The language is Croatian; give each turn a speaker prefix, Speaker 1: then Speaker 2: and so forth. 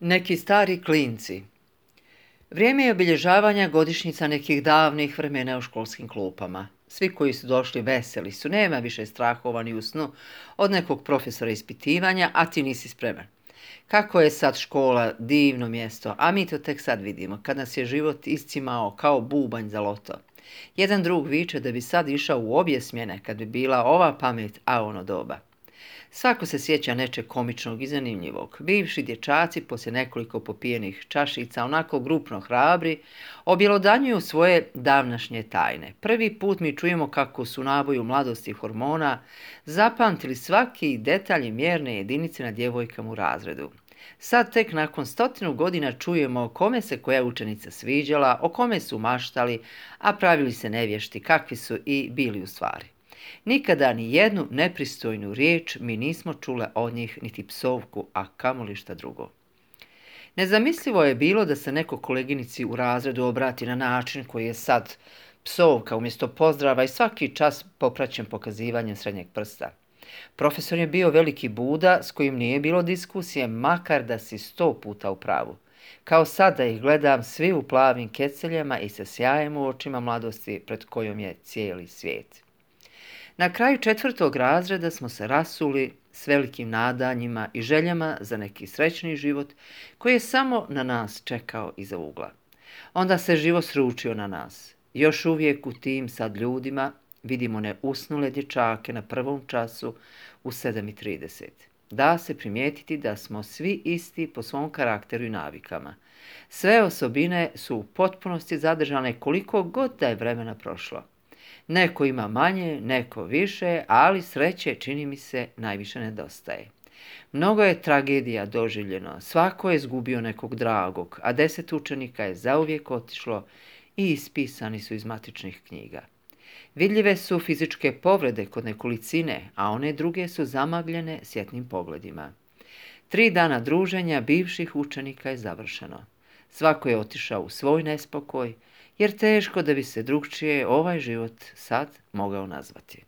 Speaker 1: Neki stari klinci. Vrijeme je obilježavanja godišnjica nekih davnih vremena u školskim klupama. Svi koji su došli veseli su, nema više strahova ni u snu od nekog profesora ispitivanja, a ti nisi spreman. Kako je sad škola divno mjesto, a mi to tek sad vidimo, kad nas je život iscimao kao bubanj za loto. Jedan drug viče da bi sad išao u obje smjene kad bi bila ova pamet, a ono doba. Svako se sjeća nečeg komičnog i zanimljivog. Bivši dječaci, poslije nekoliko popijenih čašica, onako grupno hrabri, objelodanjuju svoje davnašnje tajne. Prvi put mi čujemo kako su naboju mladosti hormona zapamtili svaki detalj i mjerne jedinice na djevojkama u razredu. Sad tek nakon 100 godina čujemo kome se koja učenica sviđala, o kome su maštali, a pravili se nevješti kakvi su i bili u stvari. Nikada ni jednu nepristojnu riječ mi nismo čule od njih, niti psovku, a kamoli šta drugo. Nezamislivo je bilo da se neko koleginici u razredu obrati na način koji je sad psovka umjesto pozdrava i svaki čas popraćen pokazivanjem srednjeg prsta. Profesor je bio veliki Buda s kojim nije bilo diskusije, makar da si 100 puta u pravu. Kao sad da ih gledam svi u plavim keceljama i sa sjajem u očima mladosti pred kojom je cijeli svijet. Na kraju 4. razreda smo se rasuli s velikim nadanjima i željama za neki srećni život koji je samo na nas čekao iza ugla. Onda se život sručio na nas. Još uvijek u tim sad ljudima vidimo neusnule dječake na prvom času u 7:30. Da se primijetiti da smo svi isti po svom karakteru i navikama. Sve osobine su u potpunosti zadržane koliko god da je vremena prošlo. Neko ima manje, neko više, ali sreće, čini mi se, najviše nedostaje. Mnogo je tragedija doživljeno, svako je izgubio nekog dragog, a 10 učenika je zauvijek otišlo i ispisani su iz matičnih knjiga. Vidljive su fizičke povrede kod nekolicine, a one druge su zamagljene svjetlim pogledima. 3 dana druženja bivših učenika je završeno. Svako je otišao u svoj nespokoj, jer teško da bi se drugčije ovaj život sad mogao nazvati.